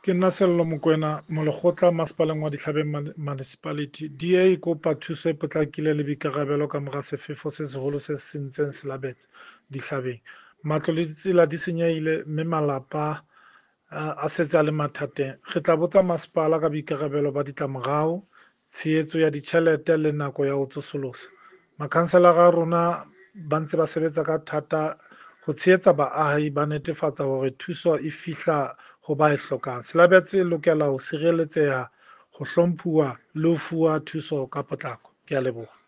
Ke nna Sello Mokoena, molekgotla masepaleng wa Dihlabeng Municipality. DA e kopa thuso e potlakileng le boikarabelo ka mora sefefo se seholo se sentseng Selabetse Dihlabeng. Matlo le ditsela di senyehile mme malapa a setse a le mathateng. Re tla botsa masepala ka boikarabelo ba ditlamorao, tshehetso ya ditjhelete le nako ya ho tsosolosa. Makhanselara a rona ba ntse ba sebetsa ka thata ho tshehetsa baahi, ba netefatsa hore thuso e fihla ho ba e hlokang. Selabetse e lokela ho sireletseha, ho hlomphuwa le ho fuwa thuso ka potlako. Ke a leboha.